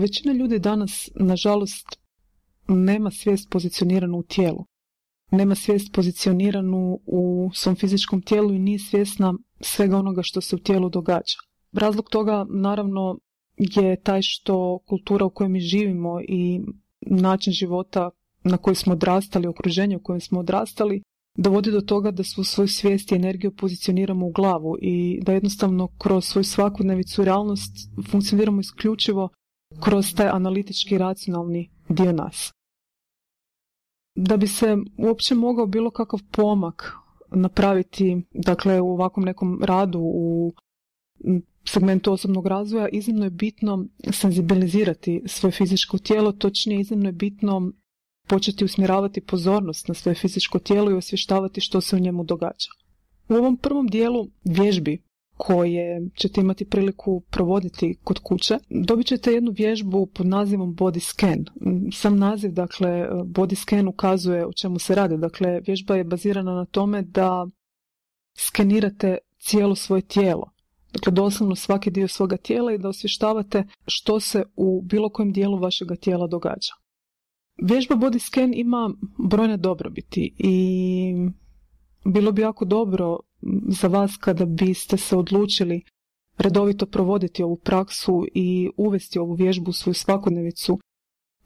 Većina ljudi danas, nažalost, nema svijest pozicioniranu u tijelu. Nema svijest pozicioniranu u svom fizičkom tijelu i nije svjesna svega onoga što se u tijelu događa. Razlog toga, naravno, je taj što kultura u kojoj mi živimo i način života na koji smo odrastali, okruženje u kojem smo odrastali, dovodi do toga da svu svoju svijest i energiju pozicioniramo u glavu i da jednostavno kroz svoju svakodnevicu i realnost funkcioniramo isključivo kroz taj analitički racionalni dio nas. Da bi se uopće mogao bilo kakav pomak napraviti, dakle u ovakvom nekom radu u segmentu osobnog razvoja, iznimno je bitno senzibilizirati svoje fizičko tijelo, točnije iznimno je bitno početi usmjeravati pozornost na svoje fizičko tijelo i osvještavati što se u njemu događa. U ovom prvom dijelu vježbi koje ćete imati priliku provoditi kod kuće, dobit ćete jednu vježbu pod nazivom body scan. Sam naziv, dakle, body scan ukazuje o čemu se radi. Dakle, vježba je bazirana na tome da skenirate cijelo svoje tijelo. Dakle, doslovno svaki dio svoga tijela i da osvještavate što se u bilo kojem dijelu vašega tijela događa. Vježba body scan ima brojne dobrobiti i bilo bi jako dobro za vas kada biste se odlučili redovito provoditi ovu praksu i uvesti ovu vježbu u svoju svakodnevicu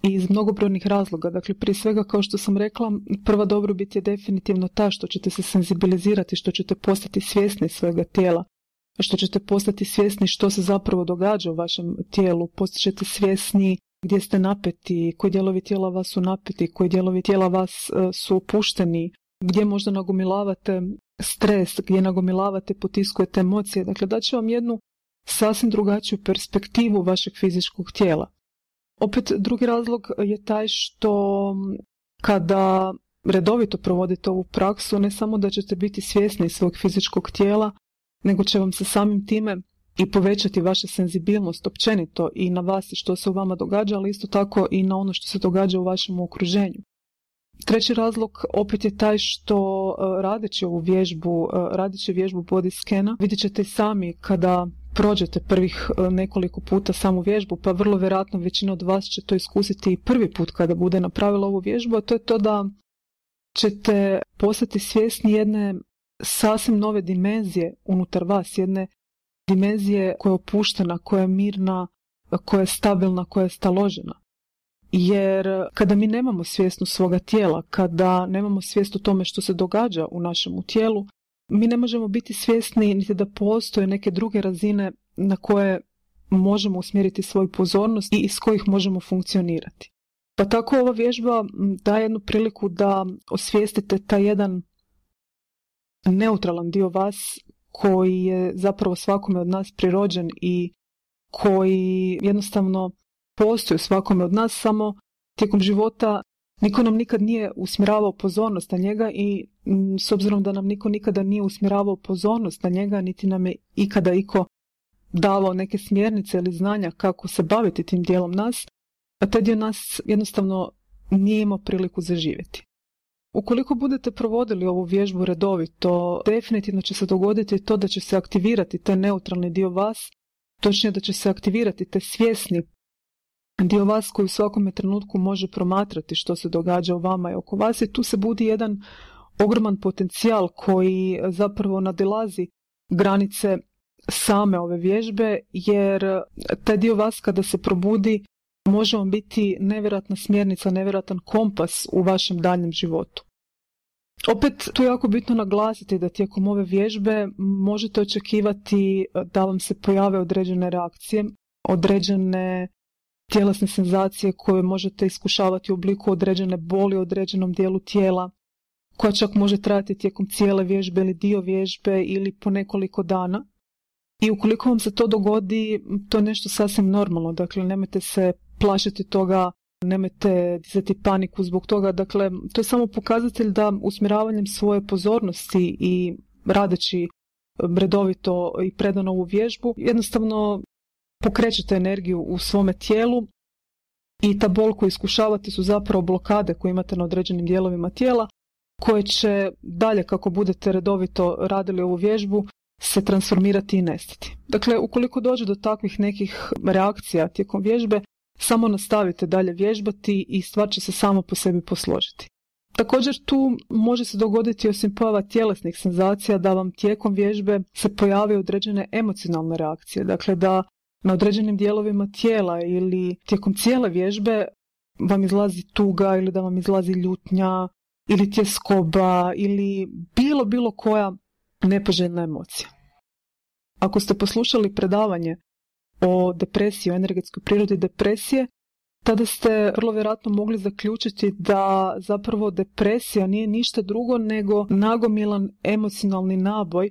iz mnogobrojnih razloga. Dakle, prije svega, kao što sam rekla, prva dobrobit je definitivno ta što ćete se senzibilizirati, što ćete postati svjesni svojega tijela, što ćete postati svjesni što se zapravo događa u vašem tijelu, postaćete svjesni gdje ste napeti, koji dijelovi tijela vas su napeti, koji dijelovi tijela vas su opušteni, gdje možda nagomilavate stres, gdje nagomilavate, potiskujete emocije. Dakle, daće vam jednu sasvim drugačiju perspektivu vašeg fizičkog tijela. Opet, drugi razlog je taj što kada redovito provodite ovu praksu, ne samo da ćete biti svjesni svog fizičkog tijela, nego će vam se samim time i povećati vaša senzibilnost općenito i na vas i što se u vama događa, ali isto tako i na ono što se događa u vašem okruženju. Treći razlog opet je taj što radeći vježbu body scana, vidjet ćete sami kada prođete prvih nekoliko puta samu vježbu, pa vrlo vjerojatno većina od vas će to iskusiti i prvi put kada bude napravila ovu vježbu, a to je to da ćete postati svjesni jedne sasvim nove dimenzije unutar vas, jedne dimenzije koja je opuštena, koja je mirna, koja je stabilna, koja je staložena. Jer kada mi nemamo svjesnost svoga tijela, kada nemamo svijest o tome što se događa u našem tijelu, mi ne možemo biti svjesni niti da postoje neke druge razine na koje možemo usmjeriti svoju pozornost i iz kojih možemo funkcionirati. Pa tako ova vježba daje jednu priliku da osvijestite taj jedan neutralan dio vas koji je zapravo svakome od nas prirođen i koji jednostavno postoji u svakome od nas, samo tijekom života niko nam nikad nije usmjeravao pozornost na njega i s obzirom da nam niko nikada nije usmjeravao pozornost na njega, niti nam je ikada iko davao neke smjernice ili znanja kako se baviti tim dijelom nas, a taj dio nas jednostavno nije imao priliku zaživjeti. Ukoliko budete provodili ovu vježbu redovito, definitivno će se dogoditi to da će se aktivirati taj neutralni dio vas, točnije da će se aktivirati taj svjesni dio vas koji u svakome trenutku može promatrati što se događa u vama i oko vas i tu se budi jedan ogroman potencijal koji zapravo nadilazi granice same ove vježbe, jer taj dio vas kada se probudi može vam biti nevjerojatna smjernica, nevjerojatan kompas u vašem daljnjem životu. Opet, tu je jako bitno naglasiti da tijekom ove vježbe možete očekivati da vam se pojave određene reakcije, određene tjelesne senzacije koje možete iskušavati u obliku određene boli u određenom dijelu tijela, koja čak može trajati tijekom cijele vježbe ili dio vježbe ili po nekoliko dana. I ukoliko vam se to dogodi, to je nešto sasvim normalno, dakle nemojte se plašiti toga, nemojte dizati paniku zbog toga, dakle to je samo pokazatelj da usmjeravanjem svoje pozornosti i radeći redovito i predano ovu vježbu, jednostavno pokrećete energiju u svome tijelu i ta bol koju iskušavate su zapravo blokade koje imate na određenim dijelovima tijela, koje će dalje kako budete redovito radili ovu vježbu se transformirati i nestati. Dakle, ukoliko dođe do takvih nekih reakcija tijekom vježbe, samo nastavite dalje vježbati i stvar će se samo po sebi posložiti. Također tu može se dogoditi osim pojava tjelesnih senzacija da vam tijekom vježbe se pojave određene emocionalne reakcije. Dakle, da na određenim dijelovima tijela ili tijekom cijele vježbe vam izlazi tuga ili da vam izlazi ljutnja ili tjeskoba ili bilo koja nepoželjna emocija. Ako ste poslušali predavanje o depresiji, o energetskoj prirodi depresije, tada ste vrlo vjerojatno mogli zaključiti da zapravo depresija nije ništa drugo nego nagomilan emocionalni naboj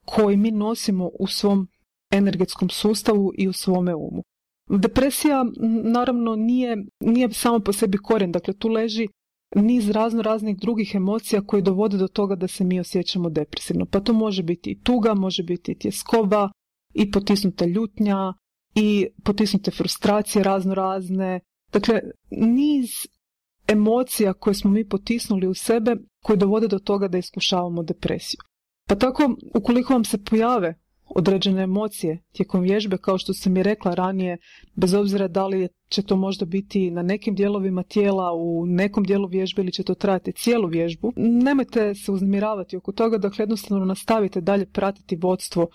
koji mi nosimo u svom energetskom sustavu i u svome umu. Depresija naravno nije samo po sebi korijen, dakle tu leži niz raznih drugih emocija koje dovode do toga da se mi osjećamo depresivno. Pa to može biti i tuga, može biti i tjeskoba, i potisnuta ljutnja, i potisnute frustracije razne. Dakle, niz emocija koje smo mi potisnuli u sebe koje dovode do toga da iskušavamo depresiju. Pa tako, ukoliko vam se pojave određene emocije tijekom vježbe, kao što sam i rekla ranije, bez obzira da li će to možda biti na nekim dijelovima tijela, u nekom dijelu vježbe ili će to trajati cijelu vježbu, nemojte se uznemiravati oko toga, dakle jednostavno nastavite dalje pratiti vodstvo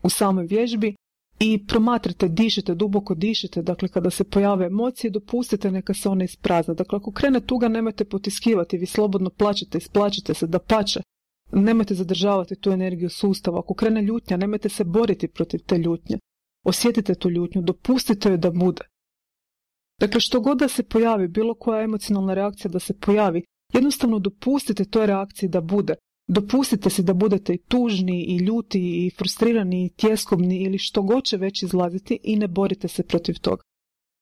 u samoj vježbi i promatrate, dišite, duboko dišite, dakle kada se pojave emocije, dopustite neka se one isprazne. Dakle, ako krene tuga, nemojte potiskivati, vi slobodno plačete, isplačite se, dapače. Nemojte zadržavati tu energiju sustava. Ako krene ljutnja, nemojte se boriti protiv te ljutnje. Osjetite tu ljutnju, dopustite joj da bude. Dakle, što god da se pojavi, bilo koja emocionalna reakcija da se pojavi, jednostavno dopustite toj reakciji da bude. Dopustite si da budete i tužni, i ljuti, i frustrirani, i tjeskobni, ili što god će već izlaziti i ne borite se protiv toga.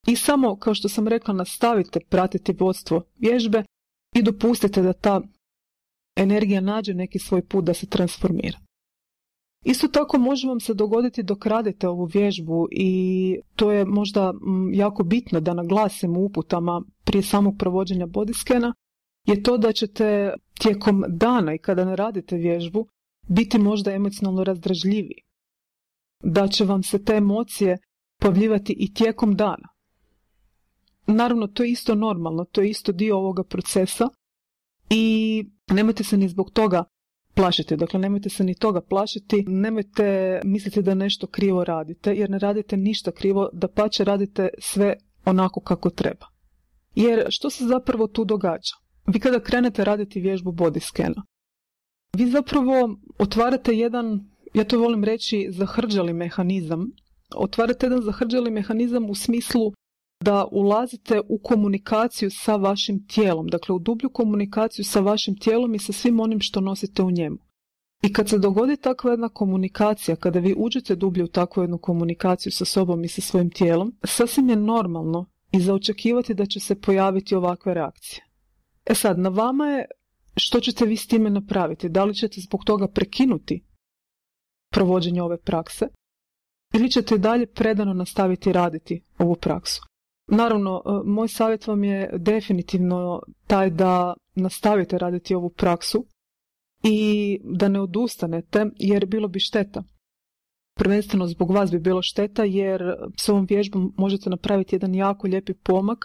I samo, kao što sam rekla, nastavite pratiti vodstvo vježbe i dopustite da ta energija nađe neki svoj put da se transformira. Isto tako može vam se dogoditi dok radite ovu vježbu i to je možda jako bitno da naglasim u uputama prije samog provođenja bodyscana, je to da ćete tijekom dana i kada ne radite vježbu biti možda emocionalno razdražljiviji. Da će vam se te emocije pojavljivati i tijekom dana. Naravno, to je isto normalno, to je isto dio ovoga procesa i nemojte se ni zbog toga plašiti. Dakle, nemojte se ni toga plašiti, nemojte misliti da nešto krivo radite, jer ne radite ništa krivo, dapače radite sve onako kako treba. Jer što se zapravo tu događa? Vi kada krenete raditi vježbu bodyscana, vi zapravo otvarate jedan, ja to volim reći, zahrđali mehanizam. Otvarate jedan zahrđali mehanizam u smislu da ulazite u komunikaciju sa vašim tijelom, dakle u dublju komunikaciju sa vašim tijelom i sa svim onim što nosite u njemu. I kad se dogodi takva jedna komunikacija, kada vi uđete dublje u takvu jednu komunikaciju sa sobom i sa svojim tijelom, sasvim je normalno i za očekivati da će se pojaviti ovakve reakcije. E sad, na vama je što ćete vi s time napraviti. Da li ćete zbog toga prekinuti provođenje ove prakse ili ćete dalje predano nastaviti raditi ovu praksu. Naravno, moj savjet vam je definitivno taj da nastavite raditi ovu praksu i da ne odustanete, jer bilo bi šteta. Prvenstveno zbog vas bi bilo šteta, jer s ovom vježbom možete napraviti jedan jako lijepi pomak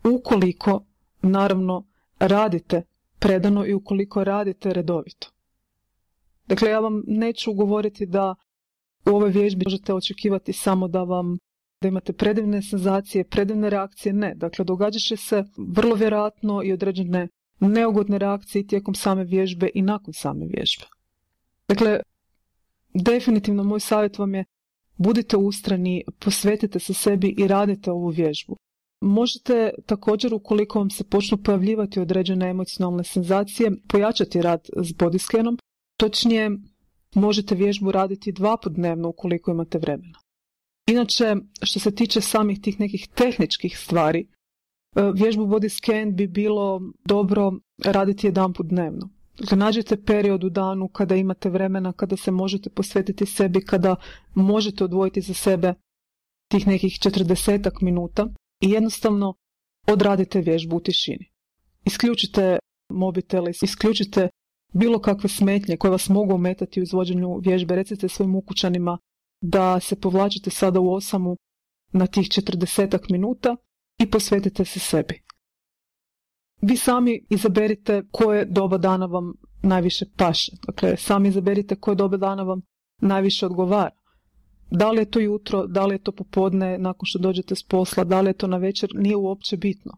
ukoliko, naravno, radite predano i ukoliko radite redovito. Dakle, ja vam neću govoriti da u ovoj vježbi možete očekivati samo da imate predivne senzacije, predivne reakcije. Ne, dakle, događat će se vrlo vjerojatno i određene neugodne reakcije tijekom same vježbe i nakon same vježbe. Dakle, definitivno moj savjet vam je budite ustrajni, posvetite se sebi i radite ovu vježbu. Možete također, ukoliko vam se počnu pojavljivati određene emocionalne senzacije, pojačati rad s bodyscanom, točnije možete vježbu raditi 2 puta dnevno ukoliko imate vremena. Inače, što se tiče samih tih nekih tehničkih stvari, vježbu bodyscan bi bilo dobro raditi 1 put dnevno. Dakle, nađite period u danu kada imate vremena, kada se možete posvetiti sebi, kada možete odvojiti za sebe tih nekih 40 minuta i jednostavno odradite vježbu u tišini. Isključite mobitele, isključite bilo kakve smetnje koje vas mogu ometati u izvođenju vježbe. Recite svojim ukućanima da se povlačite sada u osamu na tih 40 minuta i posvetite se sebi. Vi sami izaberite koje doba dana vam najviše paše. Dakle, sami izaberite koje doba dana vam najviše odgovara. Da li je to jutro, da li je to popodne nakon što dođete s posla, da li je to na večer, nije uopće bitno.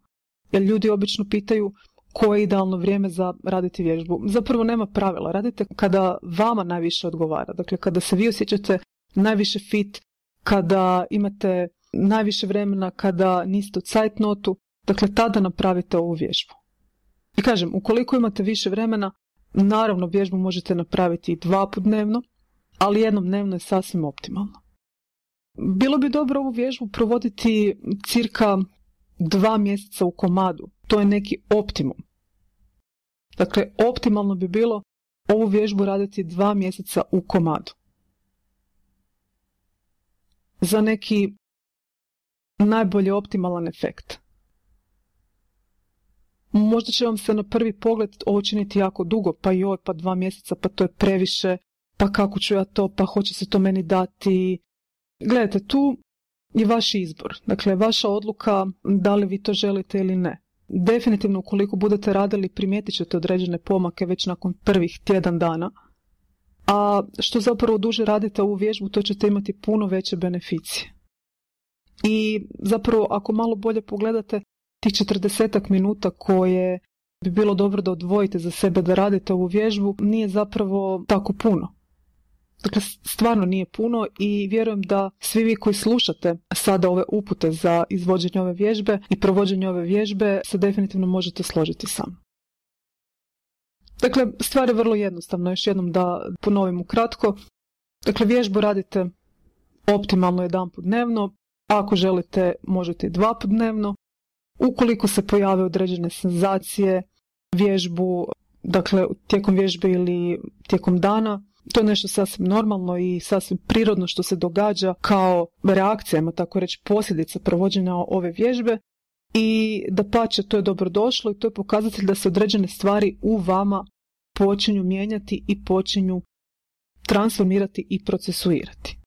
Jer ljudi obično pitaju koje je idealno vrijeme za raditi vježbu. Zapravo nema pravila. Radite kada vama najviše odgovara. Dakle, kada se vi osjećate najviše fit, kada imate najviše vremena, kada niste u zeitnotu, dakle, tada napravite ovu vježbu. I kažem, ukoliko imate više vremena, naravno vježbu možete napraviti i 2 puta dnevno, ali jednom dnevno je sasvim optimalno. Bilo bi dobro ovu vježbu provoditi cirka 2 mjeseca u komadu. To je neki optimum. Dakle, optimalno bi bilo ovu vježbu raditi 2 mjeseca u komadu. Za neki najbolji optimalan efekt. Možda će vam se na prvi pogled ovo činiti jako dugo, pa 2 mjeseca, pa to je previše, pa kako ću ja to, pa hoće se to meni dati. Gledajte, tu je vaš izbor. Dakle, vaša odluka da li vi to želite ili ne. Definitivno, ukoliko budete radili, primijetit ćete određene pomake već nakon prvih tjedan dana. A što zapravo duže radite ovu vježbu, to ćete imati puno veće beneficije. I zapravo, ako malo bolje pogledate, tih 40 minuta koje bi bilo dobro da odvojite za sebe da radite ovu vježbu, nije zapravo tako puno. Dakle, stvarno nije puno i vjerujem da svi vi koji slušate sada ove upute za izvođenje ove vježbe i provođenje ove vježbe se definitivno možete složiti sa mnom. Dakle, stvar je vrlo jednostavna, još jednom da ponovim ukratko. Dakle, vježbu radite optimalno 1 put dnevno, ako želite možete i 2 put dnevno. Ukoliko se pojave određene senzacije, vježbu, dakle tijekom vježbe ili tijekom dana, to je nešto sasvim normalno i sasvim prirodno što se događa kao reakcija, tako reći posljedica provođenja ove vježbe i dapače, to je dobrodošlo i to je pokazatelj da se određene stvari u vama počinju mijenjati i počinju transformirati i procesuirati.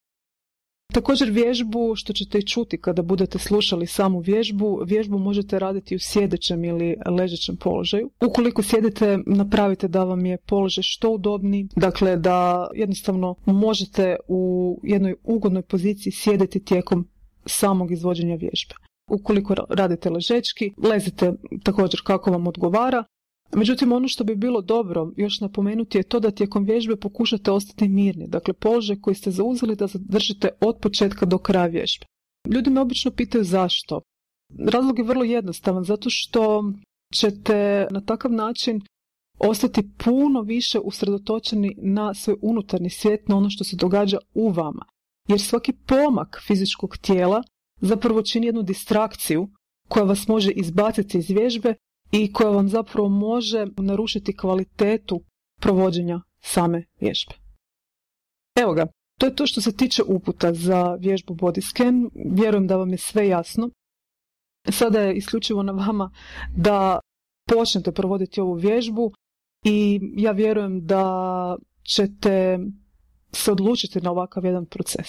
Također vježbu, što ćete i čuti kada budete slušali samu vježbu možete raditi u sjedećem ili ležećem položaju. Ukoliko sjedite, napravite da vam je položaj što udobniji, dakle da jednostavno možete u jednoj ugodnoj poziciji sjediti tijekom samog izvođenja vježbe. Ukoliko radite ležečki, lezite također kako vam odgovara. Međutim, ono što bi bilo dobro još napomenuti je to da tijekom vježbe pokušate ostati mirni. Dakle, položaj koji ste zauzeli da zadržite od početka do kraja vježbe. Ljudi me obično pitaju zašto. Razlog je vrlo jednostavan, zato što ćete na takav način ostati puno više usredotočeni na svoj unutarnji svijet, na ono što se događa u vama. Jer svaki pomak fizičkog tijela zapravo čini jednu distrakciju koja vas može izbaciti iz vježbe i koja vam zapravo može narušiti kvalitetu provođenja same vježbe. Evo ga, to je to što se tiče uputa za vježbu body scan. Vjerujem da vam je sve jasno. Sada je isključivo na vama da počnete provoditi ovu vježbu i ja vjerujem da ćete se odlučiti na ovakav jedan proces.